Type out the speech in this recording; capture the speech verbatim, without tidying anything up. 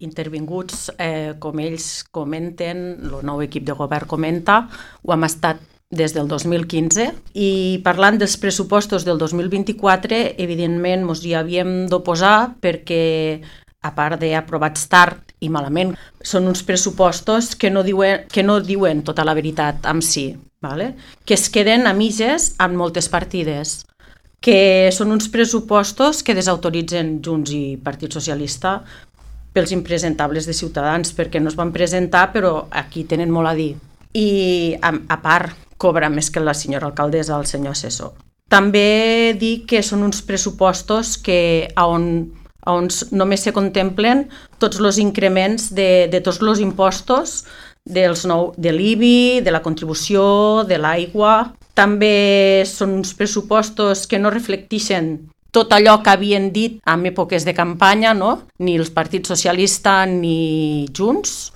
intervinguts, eh, com ells comenten, el nou equip de govern comenta, ho hem estat des del dos mil quinze, i parlant dels pressupostos del dos mil vint-i-quatre, evidentment ens hi havíem d'oposar perquè, a part d'aprovats tard i malament, són uns pressupostos que no diuen, que no diuen tota la veritat en si, vale? Que es queden a mitges en moltes partides, que són uns pressupostos que desautoritzen Junts i Partit Socialista pels impresentables de Ciutadans, perquè no es van presentar, però aquí tenen molt a dir. I, a, a part, cobra més que la senyora alcaldessa, el senyor assessor. També dic que són uns pressupostos que on, on només se contemplen tots els increments de, de tots els impostos, dels nou, de l'I B I, de la contribució, de l'aigua. També són uns pressupostos que no reflecteixen tot allò que havien dit en èpoques de campanya, no? Ni el Partit Socialista ni Junts.